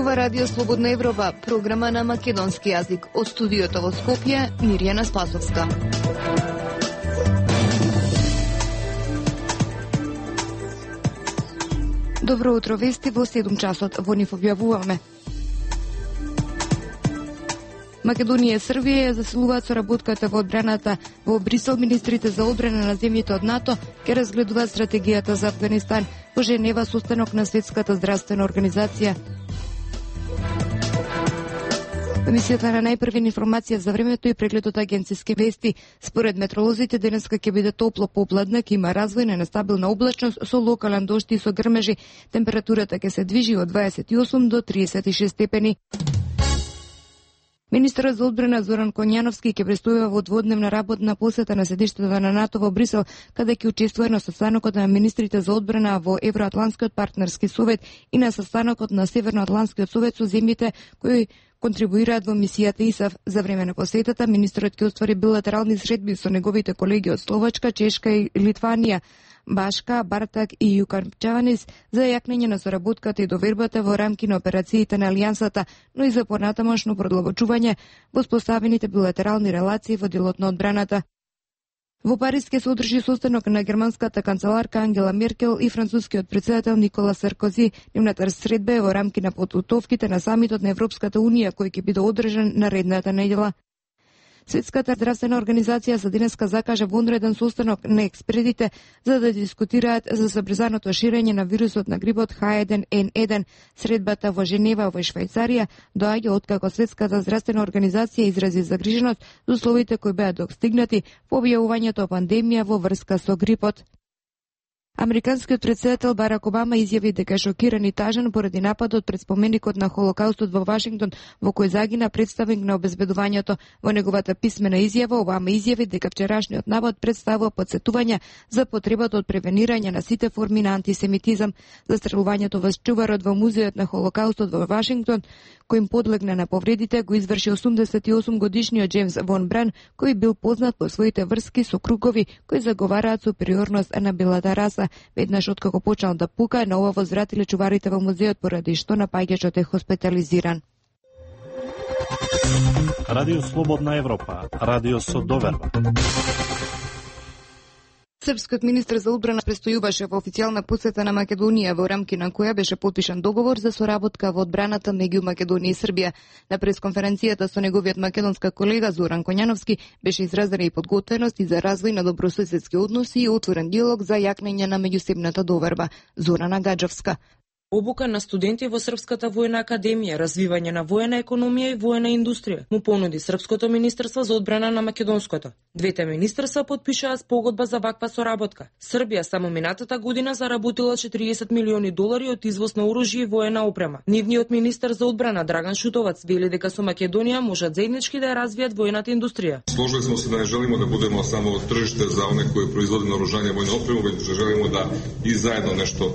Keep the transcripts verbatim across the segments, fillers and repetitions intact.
Ова Радио Слободна Европа, програма на македонски јазик. Од студиото во Скопје, Мирјана Спасовска. Добро утро, вести во седум часот. Во нив објавуваме. Македонија и Србија ја засилуваат соработката во одбраната. Во Брисел министрите за одбрана на земјите од НАТО ќе разгледуваат стратегијата за Авганистан. Во Женева состанок на Светската здравствена организација. Емисијата на најпрвен информација за времето и прегледот агенциски вести. Според метролозите денеска ќе биде топло попладнак, има развојна нестабилна облачност со локален дожд и со грмежи. Температурата ќе се движи од дваесет и осум до триесет и шест степени. Министерот за одбрана Зоран Конјановски ќе престојува во дводневна работна посета на седиштето на НАТО во Брисел, каде ќе учествува на состанокот на министрите за одбрана во Евроатлантскиот партнерски совет и на состанокот на Северноатлантскиот совет со земјите кои контрибуираат во мисијата ИСАФ. За време на посетата, министерот ќе оствари билатерални средби со неговите колеги од Словачка, Чешка и Литванија, Башка, Бартак и Јуканчаванис за јакнење на соработката и довербата во рамки на операциите на Алијансата, но и за понатамошно продлабочување во споставените билатерални релации во делот на одбраната. Во Париз ќе се одржи состанок на германската канцеларка Ангела Меркел и францускиот председател Никола Саркози. Нивната средба е во рамки на подготовките на самитот на Европската унија кој ќе биде одржан наредната неделя. Светската здравствена организација за денеска закажа вонреден состанок на експертите за да дискутираат за забрзаното ширење на вирусот на грипот H еден N еден. Средбата во Женева во Швајцарија доаѓа откако Светската здравствена организација изрази загриженост за условите кои беа достигнати по објавувањето пандемија во врска со грипот. Американскиот председател Барак Обама изјави дека е шокиран и тажен поради нападот пред споменикот на Холокаустот во Вашингтон, во кој загина представник на обезбедувањето. Во неговата писмена изјава Обама изјави дека вчерашниот напад представува потсетување за потребата од превенирање на сите форми на антисемитизам. Застрелувањето во чуварот во музеот на Холокаустот во Вашингтон, кој им подлегна на повредите, го изврши осумдесет и осум годишниот Джеймс Вон Бран, кој бил познат по своите врски со кругови кои заговараат супериорност на белата раса. Веднаш откако почнал да пука, на ова возвратиле чуварите во музеот, поради што напаѓачот е хоспитализиран. Радио Слободна Европа, радио со доверба. Српскиот министер за одбрана престојуваше во официјална посета на Македонија, во рамки на која беше подпишан договор за соработка во одбраната меѓу Македонија и Србија. На пресконференцијата со неговиот македонска колега Зоран Конјановски беше изразена и подготвеност и за развој на добрососедски односи и отворен диалог за јакнење на меѓусебната доверба. Зорана Гаджовска. Обука на студенти во Српската војна академија, развивање на воена економија и воена индустрија, му понуди Српското министерство за одбрана на македонското. Двете министерства подпишаа спогодба за ваква соработка. Србија само минатата година заработила четириесет милиони долари од извоз на оружје и воена опрема. Нивниот министер за одбрана Драган Шутовац вели дека со Македонија можат заеднички да ја развијат воената индустрија. Сложили сме се да не желимо да будеме само тржиште за оние кои производи наоружјание и воена опрема, веќе желимо да и заедно нешто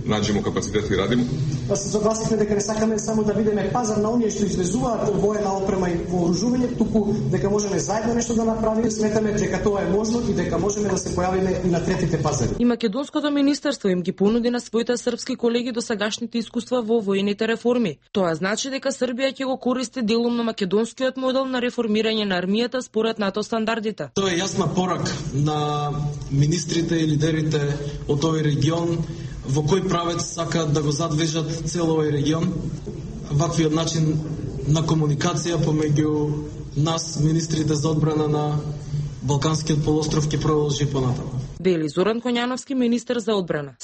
наđemo капацитет и радимо. Да се согласихме дека не сакаме само да бидеме пазар на оние што извезуваат воена опрема и вооружување, туку дека можеме заедно нешто да направиме. Сметаме дека тоа е можно и дека можеме да се појавиме и на третите пазари. И македонското министерство им ги понуди на своите српски колеги досегашните искуства во воените реформи. Тоа значи дека Србија ќе го користи делумно македонскиот модел на реформирање на армијата според НАТО стандардите. Тоа е јасна порака на министрите и лидерите од овој регион во кој правец сакаат да го задвижат цел овој регион. Ваквиот начин на комуникација помеѓу нас, министрите за одбрана на Балканскиот полуостров, ќе продолжи понатаму. Вели Зоран Конјановски, министер за одбрана.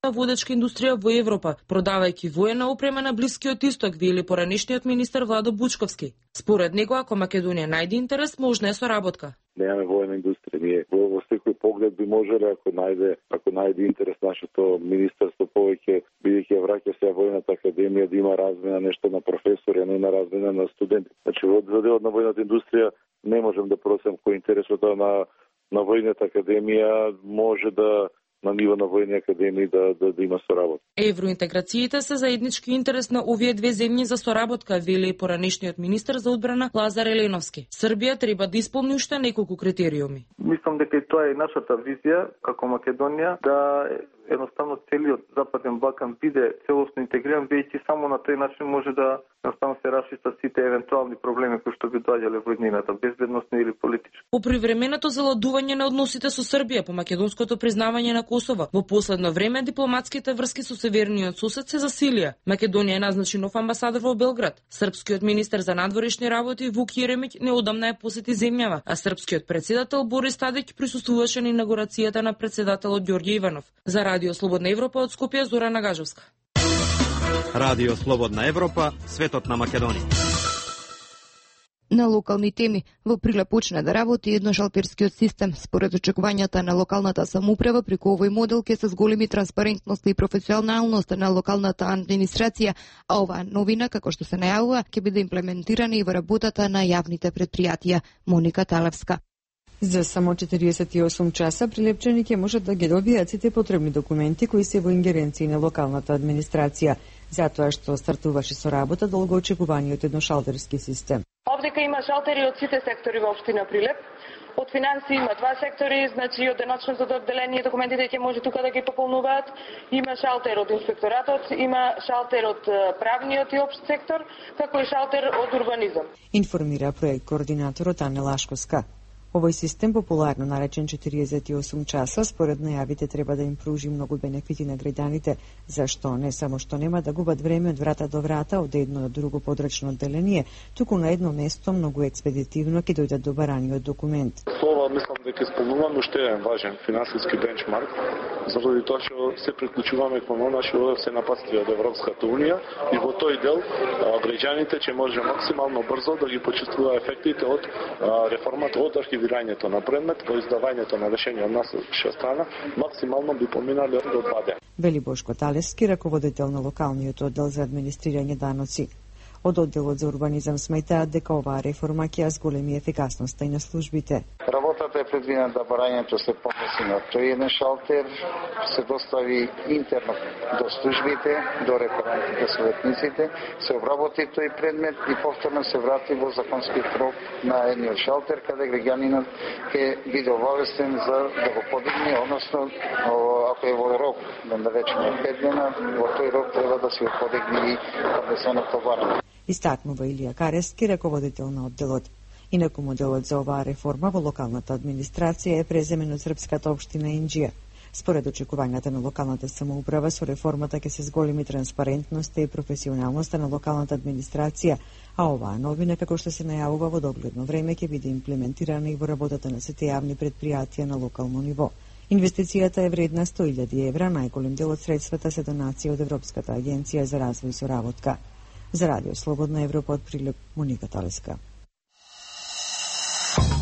Водечка индустрија во Европа, продавајќи воена опрема на Блискиот исток, вели поранешниот министер Владо Бучковски. Според него, ако Македонија најде интерес, можна е соработка. Немаме воена индустрија. Ние во секој поглед би можеле, ако најде, ако најде интерес нашето министерство повеќе, бидејќи ја враќа се војната академија, да има размена нешто на професори, а не на размена на студенти. Значи, во делот на војната индустрија не можем да просам кој интересот на на војната академија може да на ниво на војни академии да, да, да има соработка. Евроинтеграциите се заеднички интерес на овие две земји за соработка, вели поранешниот министер за одбрана Лазар Еленовски. Србија треба да исполни уште неколку критериуми. Мислам дека и тоа е нашата визија како Македонија, да едноставно целиот Западен Балкан биде целосно интегриран, бидејќи само на тој начин може да едноставно се расчистат сите евентуални проблеми кои што би доаѓале во иднината, безбедносни или политички. По привременото заладување на односите со Србија по македонското признавање на Косово, во последно време дипломатските врски со северниот сосед се засилија. Македонија назначи нов амбасадор во Белград. Српскиот министер за надворешни работи Вук Јеремиќ неодамна ја посети земјава, а српскиот председател Борис Тадиќ присуствуваше на инаугурацијата на председателот Ѓорѓе Иванов. За Радио Слободна Европа од Скопје, Зорана Гажовска. Радио Слободна Европа, светот на Македонија. На локални теми, во Прилеп почна да работи едношалтерскиот систем. Според очекувањата на локалната самоуправа, преку овој модел ќе се зголеми транспарентност и професионалност на локалната администрација, а оваа новина, како што се најавува, ќе биде имплементирана и во работата на јавните предпријатија. Моника Талевска. За само четириесет и осум часа прилепчани ќе можат да ги добијат сите потребни документи кои се во ингеренција на локалната администрација, затоа што стартуваше со работа долгоочекуваниот едношалтерски систем. Овдека има шалтери од сите сектори во општина Прилеп. Од финансии има два сектори, значи од деночното одделение документите ќе може тука да ги пополнуваат. Има шалтер од инспекторатот, има шалтер од правниот и општ сектор, како и шалтер од урбанизам. Информира проект координаторот Ане Лашковска. Овој систем, популарно наречен четириесет и осум часа, според најавите треба да им пружи многу бенефити на граѓаните, зашто не само што нема да губат време од врата до врата од едно до друго подрачно одделение, туку на едно место многу експедитивно ќе дојдат до бараниот документ. Ова мислам дека исполнуваме уште еден важен финансиски бенчмарк, заради тоа што се приклучуваме кон она што се напатства од Европската унија и во тој дел граѓаните ќе може максимално брзо да ги почувствуваат ефектите од реформата од архивирањето на предмет, по издавањето на решение од наша страна, максимално би поминале до два дена. Вели Бошко Талевски, раководител на локалниот оддел за администрирање даноци. Од одделот за урбанизам сметаат дека оваа реформа ќе ја зголеми ефикасноста и на службите. Работата е предвидена да барањето се подноси на тој еден шалтер, се достави интерно до службите, до референтите советниците, се обработи тој предмет и повторно се врати во законскиот рок на едниот шалтер, каде граѓанинот ќе биде обавестен за да го подигне, односно ако е во рок, да речеме пет дена, во тој рок треба да се подигне и поднесеното барање. Истакнува Илија Карески, раководител на одделот. Инаку моделот за оваа реформа во локалната администрација е преземен од српската општина Инџија. Според очекувањата на локалната самоуправа, со реформата ќе се зголеми транспарентноста и професионалноста на локалната администрација, а оваа новина, како што се најавува во догледно време, ќе биде имплементирана и во работата на сите јавни предпријатија на локално ниво. Инвестицијата е вредна сто илјади евра, најголем дел од средствата се донации од Европската агенција за развој и соработка. За Радио Слободна Европа од Прилеп, Моника Талеска.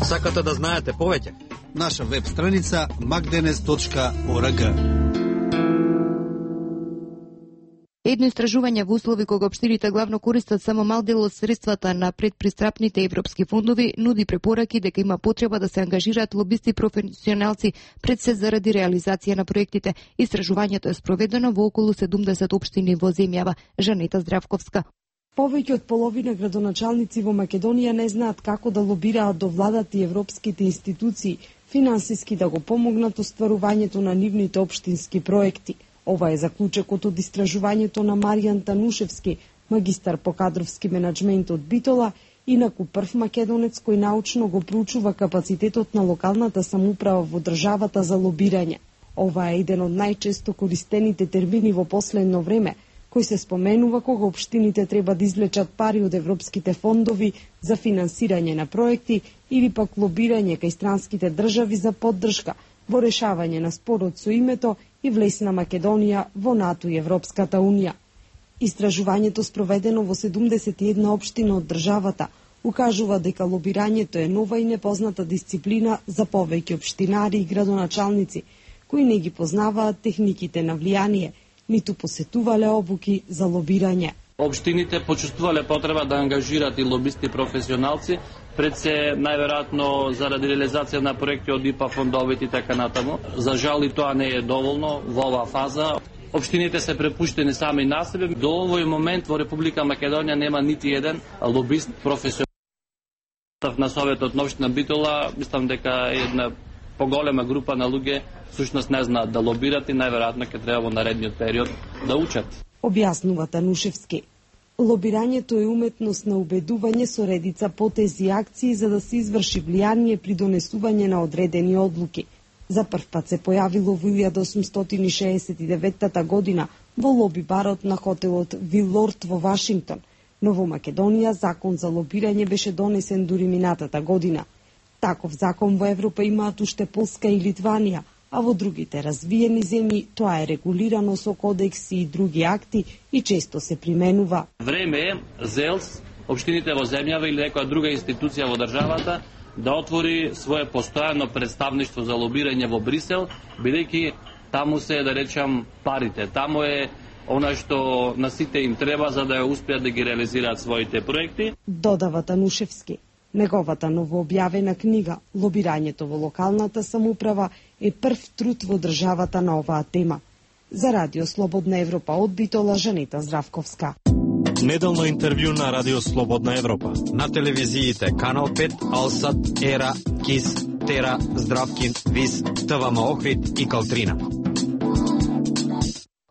Сакате да знаете повеќе? Наша веб страница magdenes точка org. Едно истражување во услови кога општините главно користат само мал дел од средствата на предпристапните европски фондови нуди препораки дека има потреба да се ангажираат лобисти и професионалци пред се заради реализација на проектите. Истражувањето е спроведено во околу седумдесет општини во земјава. Жанета Здравковска. Повеќе од половина градоначалници во Македонија не знаат како да лобираат до владата и европските институции финансиски да го помогнат остварувањето на нивните општински проекти. Ова е заклучокот од истражувањето на Маријан Танушевски, магистар по кадровски менаџмент од Битола, инаку прв македонец кој научно го проучува капацитетот на локалната самоуправа во државата за лобирање. Ова е еден од најчесто користените термини во последно време, кој се споменува кога општините треба да извлечат пари од европските фондови за финансирање на проекти или пак лобирање кај странските држави за поддршка во решавање на спорот со името и влез на Македонија во НАТО и Европската Унија. Истражувањето спроведено во седумдесет и една општина од државата укажува дека лобирањето е нова и непозната дисциплина за повеќе општинари и градоначалници, кои не ги познаваат техниките на влијание, ниту посетувале обуки за лобирање. Општините почувствувале потреба да ангажираат и лобисти професионалци, пред се најверојатно заради реализација на проекти од ИПА фондовите и така натаму. За жал и тоа не е доволно во оваа фаза. Општините се препуштени сами на себе. До овој момент во Република Македонија нема нити еден лобист професионалец на Советот на општина Битола. Мислам дека е една поголема група на луѓе всушност не знаат да лобират и најверојатно ќе треба во наредниот период да учат. Објаснува Танушевски. Лобирањето е уметност на убедување со редица потези и акции за да се изврши влијание при донесување на одредени одлуки. За прв пат се појавило во илјада осумстотини шеесет и деветта година во лоби барот на хотелот Вилорд во Вашингтон, но во Македонија закон за лобирање беше донесен дури минатата година. Таков закон во Европа имаат уште Полска и Литванија, а во другите развиени земји тоа е регулирано со кодекси и други акти и често се применува. Време е ЗЕЛС, општините во земјава или некоја друга институција во државата да отвори свое постојано представништво за лобирање во Брисел, бидејќи таму се, да речам, парите. Таму е она што на сите им треба за да ја успеат да ги реализираат своите проекти. Додава Танушевски. Неговата новообјавена книга «Лобирањето во локалната самоуправа» е прв труд во државата на оваа тема. За Радио Слободна Европа од Битола, Жанета Здравковска. Неделно интервју на Радио Слободна Европа. На телевизиите Канал пет, Алсат, Ера, Кис, Тера, Здравкин, Вис, ТВМ Охрид и Калтрина.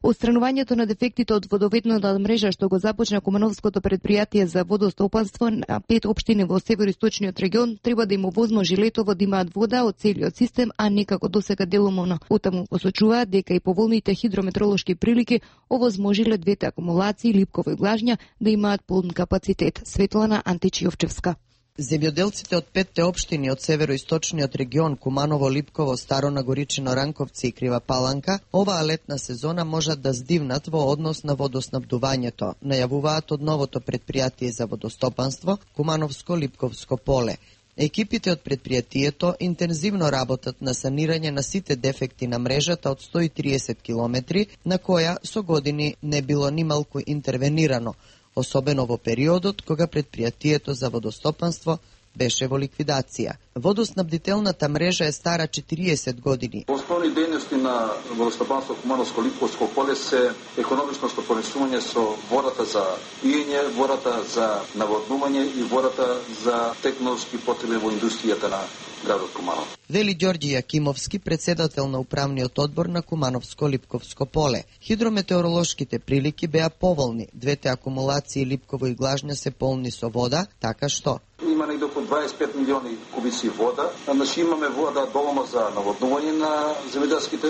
Отстранувањето на дефектите од водоведната мрежа што го започна Кумановското предпријатие за водостопанство на пет општини во североисточниот регион треба да им овозможи летово да имаат вода од целиот систем, а не како досега делумно. Отаму посочуваат дека и поволните хидрометролошки прилики овозможиле двете акумулации Липково и Глажња да имаат полн капацитет. Светлана Античиовчевска. Земјоделците од петте општини од североисточниот регион Куманово, Липково, Старо Нагоричино, Ранковци и Крива Паланка оваа летна сезона можат да здивнат во однос на водоснабдувањето, најавуваат од новото предпријатие за водостопанство Кумановско-Липковско поле. Екипите од предпријатието интензивно работат на санирање на сите дефекти на мрежата од сто и триесет километри, на која со години не било нималку интервенирано, особено во периодот кога предпријатието за водостопанство беше во ликвидација. Водоснабдителната мрежа е стара четириесет години. Основни дејности на водостопанство Кумановско-Липковско поле се економично стопанисување со водата за пиење, водата за наводнување и водата за технолошки потреби во индустријата на градот Куманов. Вели Ѓорѓи Јакимовски, председател на управниот одбор на Кумановско-Липковско поле. Хидрометеоролошките прилики беа поволни, двете акумулации Липково и Глажња се полни со вода, така што има негде околу дваесет и пет милиони кубици вода. Значи имаме вода доволно за наводнување на земјоделските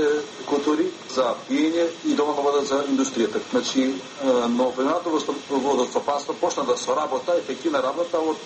култури, за пиење и доволно вода за индустријата. Значи, но преминалото водостопанство почна да соработа, ефективна работа од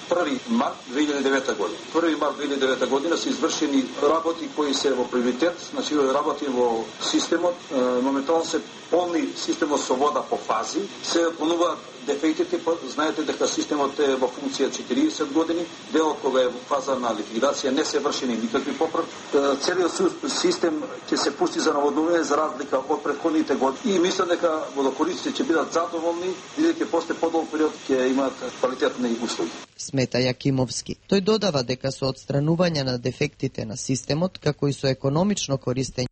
први март две илјади и девета година. први март две илјади и девета година се извршени работи кои се во приоритет, значи работи во системот, моментално се полни системот со вода по фази, се понуваат дефектите, знаете дека системот е во функција четириесет години, делот кога е во фаза на ликвидација не се вршени никакви поправки. Целиот систем ќе се пусти за наводнување за разлика од претходните години и мислам дека водокорисците ќе бидат задоволни, бидејќи после подолг период ќе имаат квалитетни услуги. Смета Јакимовски. Тој додава дека со отстранување на дефектите на системот, како и со економично користење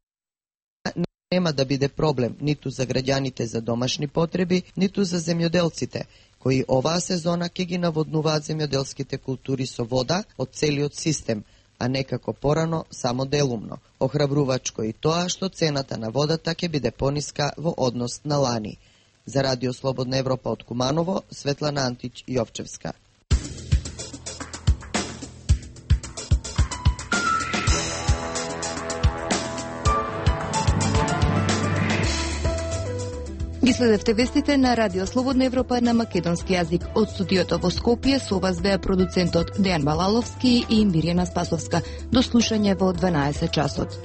нема да биде проблем ниту за граѓаните за домашни потреби, ниту за земјоделците, кои оваа сезона ќе ги наводнуваат земјоделските култури со вода од целиот систем, а не како порано само делумно. Охрабрувачко и тоа што цената на водата ќе биде пониска во однос на лани. За Радио Слободна Европа од Куманово, Светлана Антич Јовчевска. Ги следевте вестите на Радио Слободна Европа на македонски јазик. Од студиото во Скопје со вас беа продуцентот Дејан Балаловски и Мирјана Спасовска. До слушање во дванаесет часот.